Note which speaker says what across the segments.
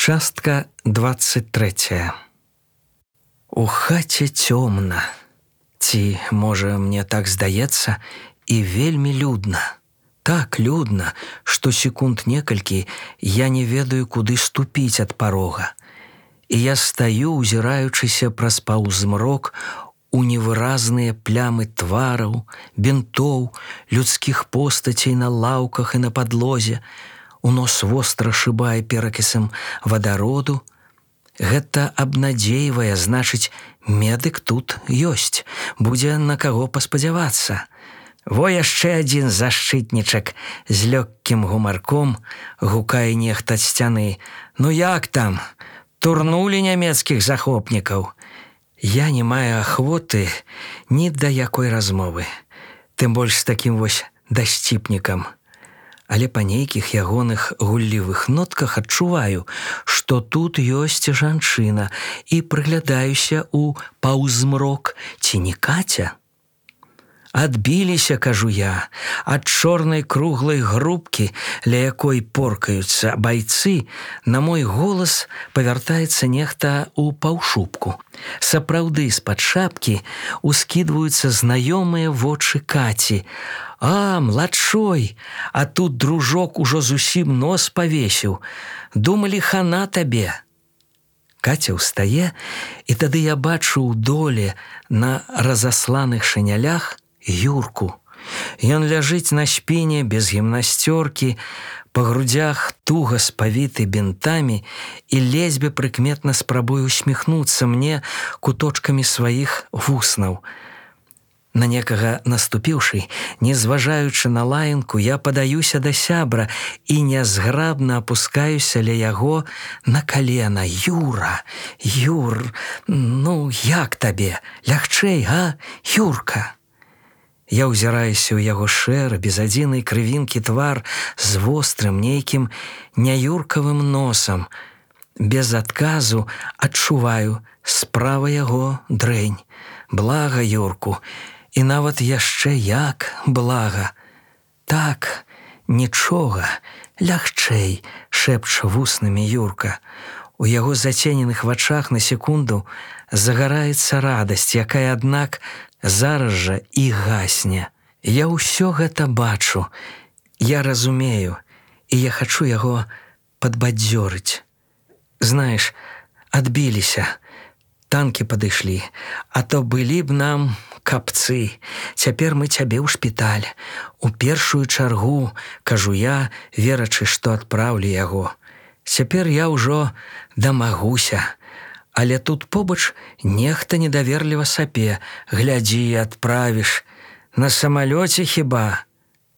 Speaker 1: Частка 23. У хаце цёмна. Ці, можа, мне так здаецца, і вельмі людна. Так людна, што секунд некалькі я не ведаю, куды ступіць ад парога. І я стаю, узіраючыся праз паўзмрок у невыразныя плямы твараў, бінтоў, людскіх постацей на лаўках і на падлозе. У нос востра шыбае перакісам вадароду. Гэта абнадзейвае, значыць, медык тут ёсць, будзе на каго паспадзявацца. Во яшчэ адзін защытнічак з лёгкім гумарком гукае нехта ад сцяны. Ну як там? Турнулі нямецкіх захопнікаў. Я не маю ахвоты ні да якой размовы, тым больш з такім вось дасціпнікам. Але па нейкіх ягоных гуллівых нотках адчуваю, што тут ёсць жанчына, і прыглядаюся ў паўзмрок, ці не Каця? Адбіліся, кажу я, ад чорнай круглай грубкі, ля якой поркаюцца байцы, на мой голас павяртаецца нехта ў паўшубку. Сапраўды, з-пад шапкі ускідваюцца знаёмыя вочы Каці. А, младшой, а тут дружок ужо зусім нос павесіў. Думалі, хана табе. Каця ўстае, і тады я бачу ў доле на разасланых шынялях Юрку. Ён ляжыць на спіне без гімнасцёркі, па грудзях туга спавіты бінтамі, і ледзьве прыкметна спрабуе усміхнуцца мне куточкамі сваіх вуснаў. На некага наступіўшы, не зважаючы на лаянку, я падаюся да сябра і нязграбна апускаюся ля яго на калена. Юра, Юр, ну як табе? Лягчэй, а, Юрка? Я ўзіраюся ў яго шэры, без адзінай крывінкі твар з вострым нейкім няюркавым носам. Без адказу адчуваю, справа яго дрэнь. Блага Юрку. І нават яшчэ як блага. Так, нічога, лягчэй, шэпча вуснамі Юрка. У яго зацененых вачах на секунду загараецца радасць, якая, аднак, зараз жа і гасне. Я ўсё гэта бачу, я разумею, і я хачу яго падбадзёрыць. Знаеш, адбіліся, танкі падышлі, а то былі б нам капцы. Цяпер мы цябе ў шпіталь. У першую чаргу, кажу я, верачы, што адпраўлю яго. Цяпер я ўжо дамагуся. Але тут побач нехта недаверліва сапе. Глядзі, адправіш. На самалёце хіба?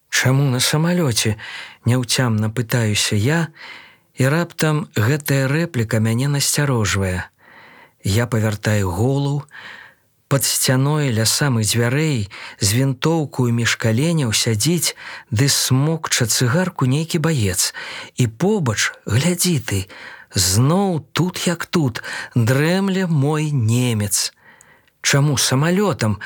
Speaker 1: Чаму на самалёце? Няўцямна пытаюся я, і раптам гэтая рэпліка мяне насцярожвае. Я павяртаю голову. Пад сцяной ля самых дзвярэй з вінтоўкаю між каленяў сядзіць ды смокча цыгарку нейкі баец. І побач, глядзі ты, зноў тут як тут дрэмле мой немец. Чаму самалётам?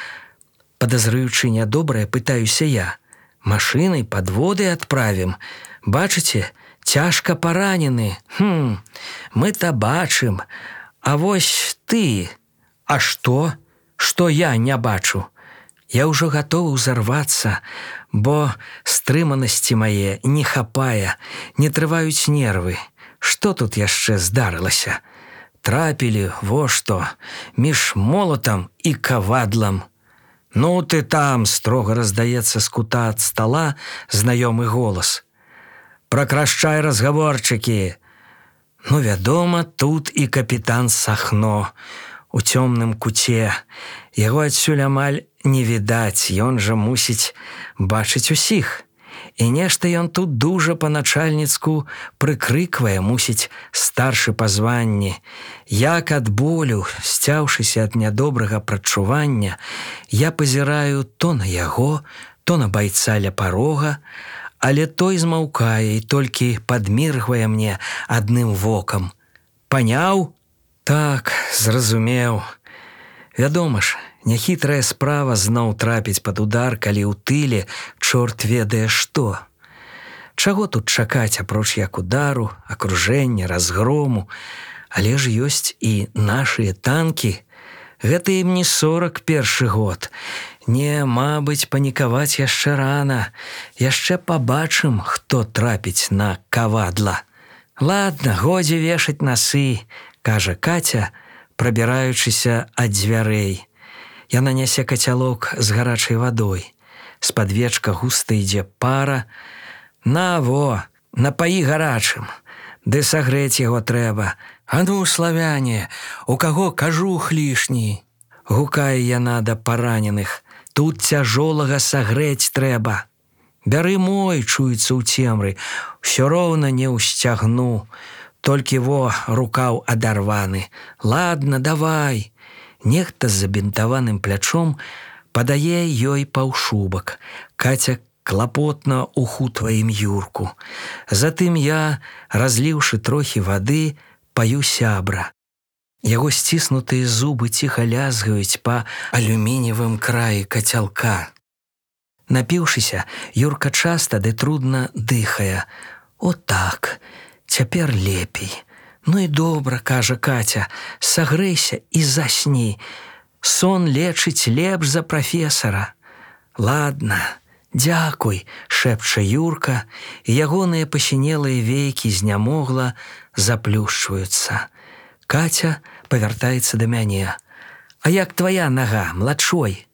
Speaker 1: Падазрыючы нядобрае, пытаюся я. Машынай падводай адправім. Бачыце, цяжка паранены. Мы-то бачым. А вось ты, а што? Што я не бачу? Я ўжо гатовы ўзарвацца, бо стрыманасці мае не хапае, не трываюць нервы. Што тут яшчэ здарылася? Трапілі, во што, між молатам і кавадлам. Ну ты там, строга раздаецца з кута ад стала знаёмы голас. Пракрашчай разгаворчыкі. Ну, вядома, тут і капітан Сахно. У цёмным куце. Яго адсюль амаль не відаць, ён жа мусіць бачыць усіх. І нешта ён тут дужа па-начальніцку прыкрыквае, мусіць, старшы па званні. Як ад болю, сцяўшыся ад нядобрага прадчування, я пазіраю то на яго, то на байца ля парога, але той змаўкае і толькі падміргвае мне адным вокам. Паняў? Так, зразумеў. Вядома ж, няхітрая справа зноў трапіць пад удар, калі ў тыле чорт ведае што. Чаго тут чакаць апроч як удару, акружэння, разгрому, але ж ёсць і нашыя танкі. Гэта ім не 41 год. Не, мабыць, панікаваць яшчэ рана. Яшчэ пабачым, хто трапіць на кавадла. Ладно, годзе вешаць насы, кажа Катя, прабіраючыся ад дзвярэй. Яна нясе кацялок з гарачай вадой. З-пад вечка густа ідзе пара. На, во, напаі гарачым. Ды сагрэць яго трэба. А ну, славяне, у каго кажух лішні? Гукае яна да параненых. Тут цяжолага сагрэць трэба. Бяры мой, чуецца ў цемры. Усё роўна не ўсцягну. Толькі во, рукаў адарваны. Ладно, давай. Нехта з забінтаваным плячом падае ёй паўшубак. Катя клапотна ухутвае ім Юрку. Затым я, разліўшы трохі вады, паю сябра. Яго сціснутыя зубы ціха лязгаюць па алюмініевым краі кацялка. Напіўшыся, Юрка часта ды трудна дыхае. О так, цяпер лепей. Ну і добра, кажа Катя, сагрэйся і засні. Сон лечыць лепш за прафесара. Ладно, дзякуй, шэпча Юрка, і ягоныя пасінелыя вейкі знямогла заплюшчваюцца. Катя павяртаецца да мяне. А як твая нага, младшой?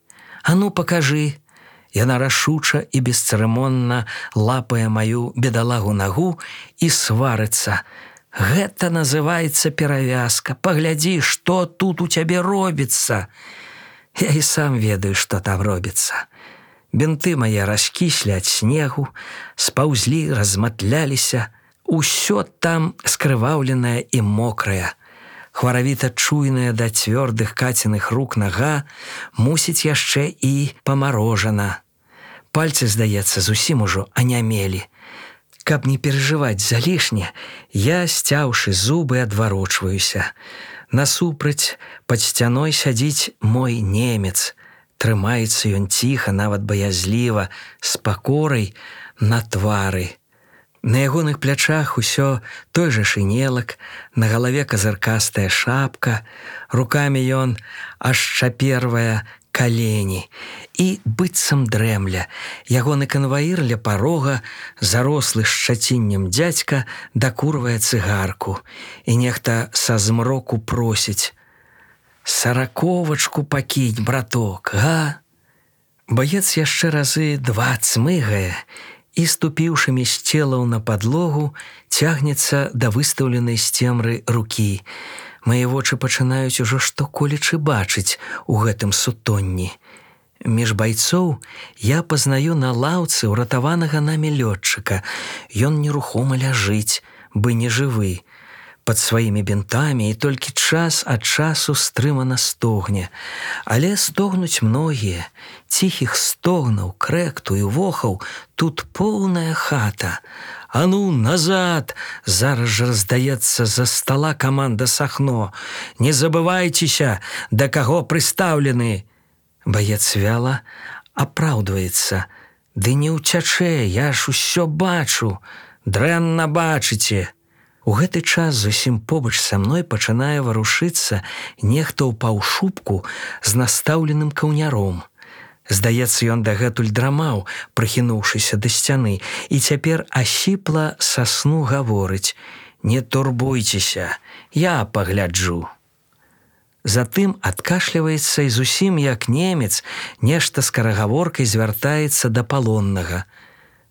Speaker 1: А ну, пакажы. Яна рашуча і бесцырымонна лапае маю бедалагу нагу і сварыцца. Гэта называецца перавязка. Паглядзі, што тут у цябе робіцца. Я і сам ведаю, што там робіцца. Бінты мае раскіслі ад снегу, спаўзлі, разматляліся. Усё там скрываўленае і мокрае. Хваравіта чуйная да цвёрдых Каціных рук нага мусіць яшчэ і памарожана. Пальцы, здаецца, зусім ужо анямелі. Каб не перажываць залішне, я, сцяўшы зубы, адварочваюся. Насупраць пад сцяной сядзіць мой немец. Трымаецца ён ціха, нават баязліва, з пакорай на твары. На ягоных плячах усё той жа шынелак, на галаве казыркастая шапка, рукамі ён ашчапервае калені і быццам дрэмля. Ягоны канваір ля парога, зарослы шчаціннем дзядзька, дакурвае цыгарку, і нехта са змроку просіць: «Сараковачку пакінь, браток, га?» Баец яшчэ разы 2 цмыгае і, ступіўшымі з целаў на падлогу, цягнецца да выстаўленай з цемры рукі. Мае вочы пачынаюць ужо што-колечы бачыць у гэтым сутонні. Між байцоў я пазнаю на лаўцы ўратаванага намі лётчыка. Ён нерухома ляжыць, бы не жывы, пад сваімі бінтамі, і толькі час ад часу стрымана стогне. Але стогнуць многія. Ціхіх стогнаў, крэкту і вохаў тут поўная хата. «А ну, назад!» Зараз жа раздаецца з-за стала каманда Сахно. «Не забывайцеся, да каго прыстаўлены!» Баец вяла апраўдваецца. «Ды не ўцячэ, я ж усё бачу! Дрэнна бачыце!» У гэты час зусім побач са мной пачынае варушыцца нехта ў паўшубку з настаўленым каўняром. Здаецца, ён дагэтуль драмаў, прыхінуўшыся да сцяны, і цяпер асіпла са сну гаворыць: «Не турбуйцеся, я пагляджу». Затым адкашліваецца і зусім як немец нешта скарагаворкай звяртаецца да палоннага.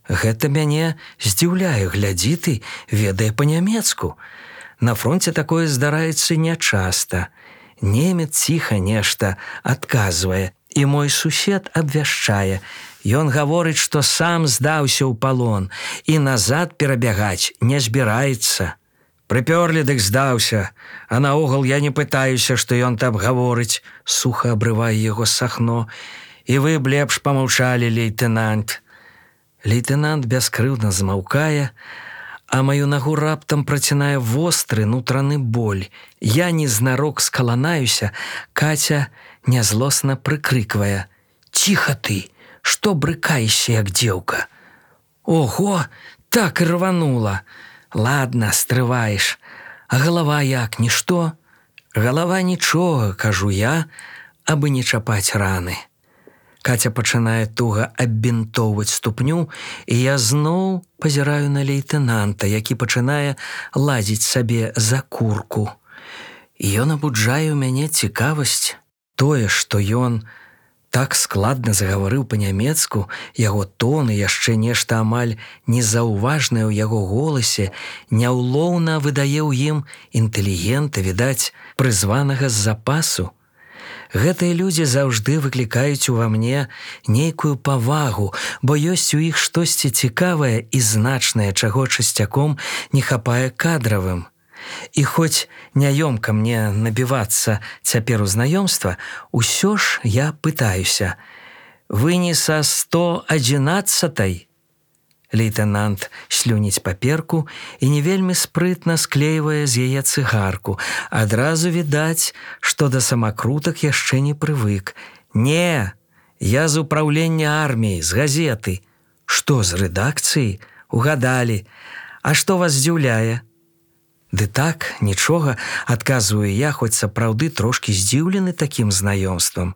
Speaker 1: Гэта мяне здзіўляе, глядзі ты, ведае па-нямецку. На фронце такое здараецца нячаста. Немец ціха нешта адказвае, і мой сусед абвяшчае. Ён гаворыць, што сам здаўся ў палон і назад перабягаць не збіраецца. «Прыпёрлі, дык здаўся, а наогул я не пытаюся, што ён там гаворыць», суха абрывае яго Сахно. «І вы б лепш памаўчалі, лейтэнант». Лейтэнант бяскрыўдна змаўкае, а маю нагу раптам працінае востры нутраны боль. Я незнарок скаланаюся, Катя нязлосна прыкрыквае: «Ціха ты, што брыкаешся, як дзеўка?» «Ого, так і рванула. Ладно, стрываеш. А галава як, нішто? Галава нічога, кажу я, абы не чапаць раны. Катя пачынае туга аббінтоўваць ступню, і я зноў пазіраю на лейтэнанта, які пачынае лазіць сабе за курку. І ён абуджае ў мяне цікавасць. Тое, што ён так складна загаварыў па-нямецку, яго тон і яшчэ нешта амаль незаўважнае ў яго голасе няўлоўна выдае ў ім інтэлігента, відаць, прызванага з запасу. Гэтыя людзі заўжды выклікаюць ува мне нейкую павагу, бо ёсць у іх штосьці цікавае і значнае, чаго часцяком не хапае кадравым. І хоць няёмка мне набівацца цяпер у знаёмства, усё ж я пытаюся: «Вы не са 111-й?» Лейтэнант слюніць паперку і не вельмі спрытна склейвае з яе цыгарку. Адразу відаць, што да самакрутак яшчэ не прывык. «Не, я з управлення арміі, з газеты». «Што, з рэдакцыі? Угадалі. А што вас здзіўляе?» «Ды так, нічога», адказваю я, хоць сапраўды трошкі здзіўлены такім знаёмствам.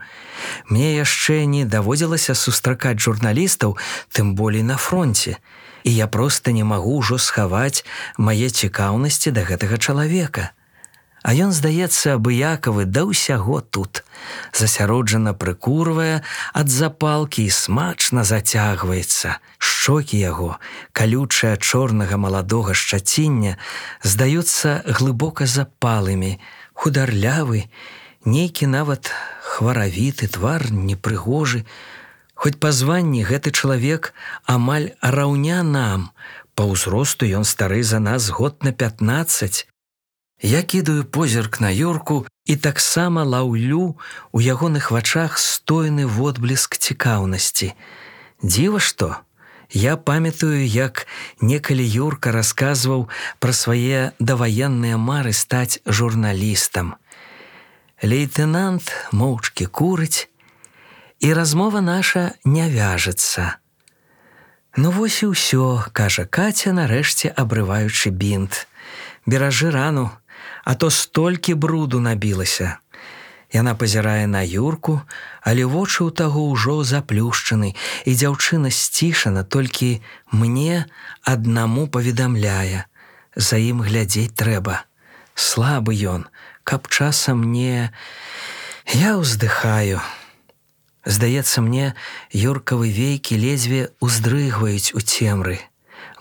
Speaker 1: Мне яшчэ не даводзілася сустракаць журналістаў, тым болей на фронце, і я проста не магу ўжо схаваць мае цікаўнасці да гэтага чалавека. А ён, здаецца, абыякавы да ўсяго тут. Засяроджана прыкурвае ад запалкі і смачна зацягваецца. Шчокі яго, калючыя чорнага маладога шчаціння, здаюцца глыбока запалымі, хударлявы, нейкі нават хваравіты твар, непрыгожы. Хоць па званні гэты чалавек амаль раўня нам, па ўзросту ён стары за нас год на 15. Я кідаю позірк на Юрку і таксама лаўлю у ягоных вачах стойны водбліск цікаўнасці. Дзіва што? Я памятаю, як некалі Юрка расказваў пра свае даваенныя мары стаць журналістам. Лейтэнант моўчкі курыць, і размова наша не вяжацца. «Ну вось і ўсё», кажа Катя, нарэшце абрываючы бінт. «Беражы рану, а то столькі бруду набілася». Яна пазірае на Юрку, але вочы ў таго ўжо заплюшчаны, і дзяўчына сцішана, толькі мне аднаму паведамляе: «За ім глядзець трэба. Слабы ён, каб часам не...» Я ўздыхаю. Здаецца мне, Юркавы вейкі ледзьве уздрыгваюць у цемры.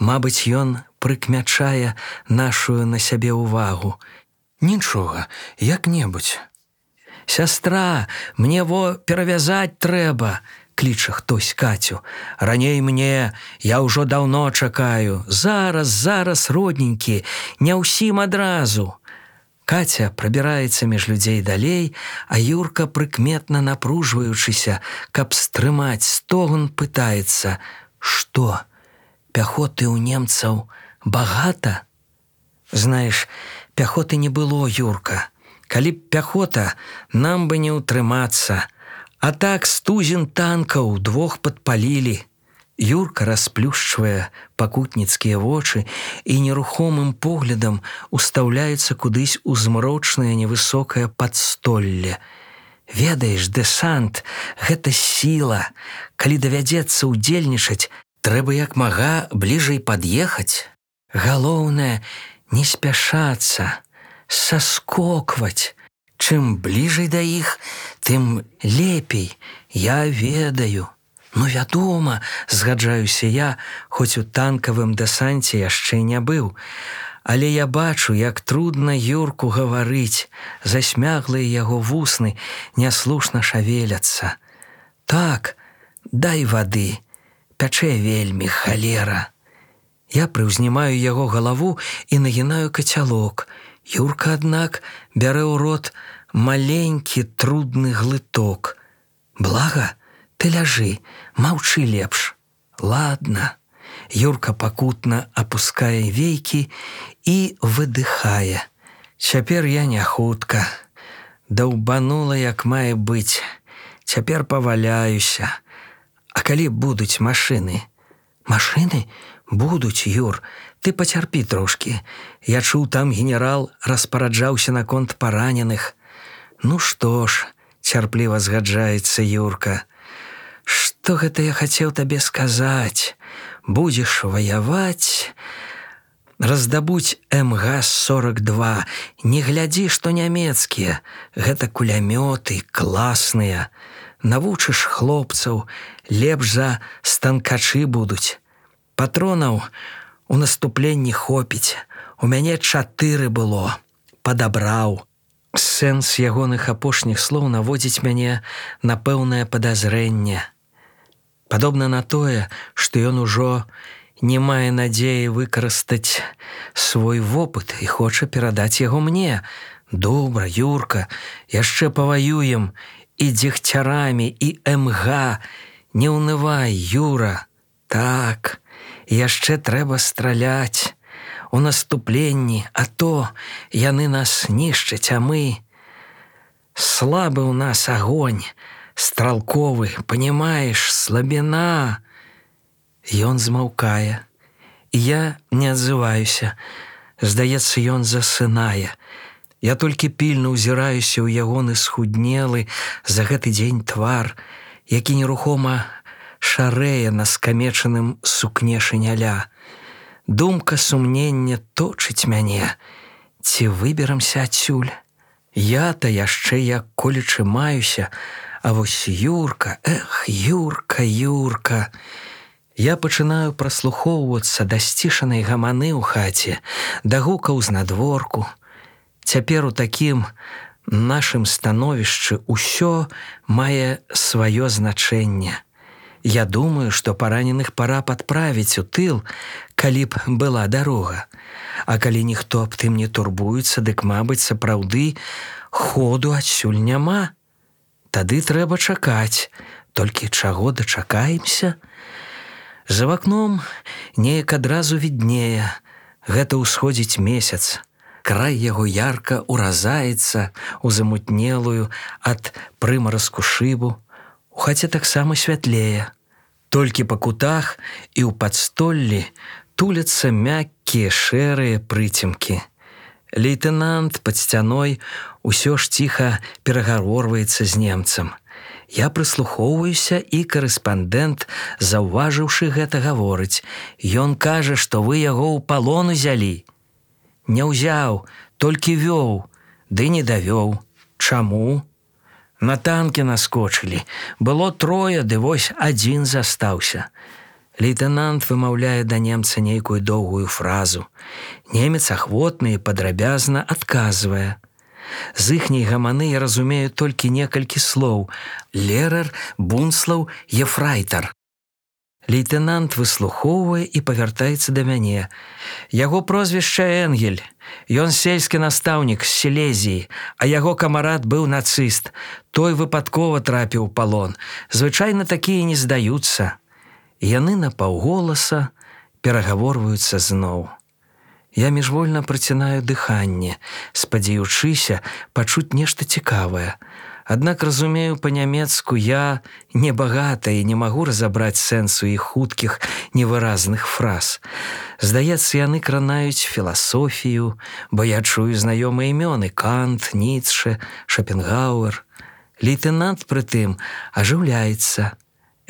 Speaker 1: Мабыць, ён прыкмячае нашую на сябе ўвагу. «Нічога, як-небудзь». «Сястра, мне во перавязаць трэба», кліча хтось Катю. «Раней мне, я ўжо даўно чакаю. Зараз, родненькі, не ўсім адразу». Катя прабіраецца між людзей далей, а Юрка, прыкметна напружваючыся, каб стрымаць стогн, пытаецца: «Што, пяхоты ў немцаў багата?» «Знаеш, пяхоты не было, Юрка. Калі б пяхота, нам бы не ўтрымацца. А так стузін танкаў 2 падпалілі». Юрка расплюшчвае пакутніцкія вочы і нерухомым поглядам устаўляецца кудысь у змрочнае невысокае падстолле. «Ведаеш, дэсант, гэта сіла. Калі давядзецца ўдзельнічаць, трэба як мага бліжэй пад'ехаць. Галоўнае, не спяшацца, саскокваць. Чым бліжэй да іх, тым лепей, я ведаю». «Ну, вядома», згаджаюся я, хоць у танкавым дэсанце яшчэ не быў. Але я бачу, як трудна Юрку гаварыць, засмяглыя яго вусны няслушна шавеляцца. «Так, дай вады, пячэ вельмі, халера». Я прыўзнімаю яго галаву і нагінаю кацялок. Юрка, аднак, бярэ ў рот маленькі трудны глыток. «Блага, ты ляжы, маўчы лепш». «Ладна». Юрка пакутна апускае вейкі і выдыхае. «Цяпер я не хутка. Даўбанула, як мае быць. Цяпер паваляюся. А калі будуць машыны?» «Машыны? Будуць, Юр, ты пацярпі трошкі. Я чуў, там генерал распараджаўся наконт параненых. Ну што ж, цярпліва згаджаецца Юрка. Што гэта я хацеў табе сказаць? Будзеш ваяваць, раздабуць МГ-42. Не глядзі, што нямецкія. Гэта кулямёты класныя. Навучыш хлопцаў, лепш за станкачы будуць. Патронаў у наступленні хопіць. У мяне 4 было. Падабраў. Сэнс ягоных апошніх слоў наводзіць мяне на пэўнае падазрэнне. Падобна на тое, што ён ужо не мае надзеі выкарыстаць свой вопыт і хоча перадаць яго мне. Добра, Юрка, яшчэ паваюем і дзегцярамі, і МГ. Не ўнывай, Юра. Так, яшчэ трэба страляць у наступленні, а то яны нас нішчаць, а мы... Слабы ў нас агонь, стралковы, панімаеш, слабіна. Ён змаўкае, і я не адзываюся. Здаецца, ён засынае. Я толькі пільна ўзіраюся ў ягоны схуднелы за гэты дзень твар, які нерухома шарэе на скамечаным сукне шыняля. Думка сумнення точыць мяне. Ці выберамся адсюль? Я-то яшчэ як колечы маюся, а вось Юрка, Юрка, Юрка. Я пачынаю праслухоўвацца да сцішанай гаманы ў хаце, да гукаў знадворку. Цяпер у такім нашым становішчы ўсё мае сваё значэнне. Я думаю, што параненых пара падправіць у тыл, калі б была дарога. А калі ніхто аб тым не турбуецца, дык, мабыць, сапраўды ходу адсюль няма. Тады трэба чакаць. Толькі чаго дачакаемся? За вакном неяк адразу віднее. Гэта ўсходзіць месяц. Край яго ярка ўразаецца ў замутнелую ад прымаразку шыбу. У хаце таксама святлее. Толькі па кутах і ў падстоллі туляцца мяккія шэрыя прыцемкі. Лейтэнант пад сцяной усё ж ціха перагаворваецца з немцам. Я прыслухоўваюся, і карэспандэнт, заўважыўшы гэта, гаворыць: «Ён кажа, што вы яго ў палон узялі». Не ўзяў, толькі вёў, ды не давёў. Чаму? На танкі наскочылі. Было 3, ды вось 1 застаўся. Лейтэнант вымаўляе да немца нейкую доўгую фразу. Немец ахвотна і падрабязна адказвае. З іхняй гаманы я разумею толькі некалькі слоў: Лерер, Бунслаў, Ефрайтар. Лейтэнант выслухоўвае і павяртаецца да мяне. Яго прозвішча Энгель. Ён сельскі настаўнік з Сілезіі, а яго камарад быў нацыст. Той выпадкова трапіў у палон. Звычайна такія не здаюцца. Яны напаўголаса перагаворваюцца зноў. Я міжвольна працінаю дыханне, спадзяючыся пачуць нешта цікавае. Аднак разумею па-нямецку я небагата і не магу разабраць сэнсу іх хуткіх, невыразных фраз. Здаецца, яны кранаюць філасофію, бо я чую знаёмыя імёны: Кант, Ніцшэ, Шопенгауэр. Лейтэнант прытым ажыўляецца.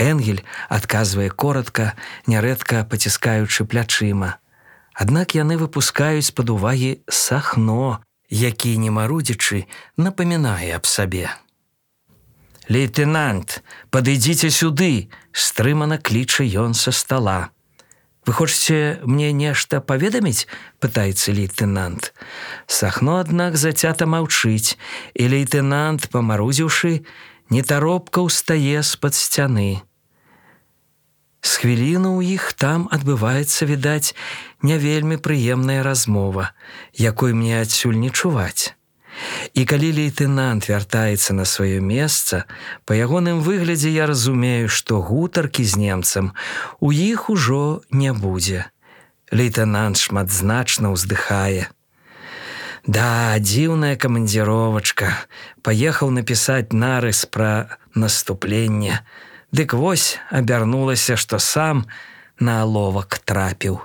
Speaker 1: Энгель адказвае коратка, нярэдка паціскаючы плячыма. Аднак яны выпускаюць з-пад увагі Сахно, які, не марудзячы, напамінае аб сабе. «Лейтэнант, падыдзіце сюды!» – стрымана кліча ён са стала. «Вы хочаце мне нешта паведаміць?» – пытаецца лейтэнант. Сахно, аднак, зацята маўчыць, і лейтэнант, памарудзіўшы, нетаропка ўстае з-пад сцяны. З хвіліну ў іх там адбываецца, відаць, не вельмі прыемная размова, якой мне адсюль не чуваць. І калі лейтэнант вяртаецца на сваё месца, па ягоным выглядзе я разумею, што гутаркі з немцам у іх ужо не будзе. Лейтэнант шматзначна ўздыхае. Да, дзіўная камандзіровачка. Паехаў напісаць нарыс пра наступленне. Дык вось абярнулася, што сам на аловак трапіў.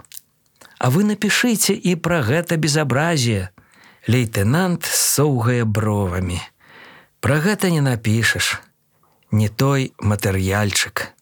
Speaker 1: А вы напішыце і пра гэта безабразие. Лейтенант соўгае бровамі. Пра гэта не напішаш. Не той матэрыяльчык.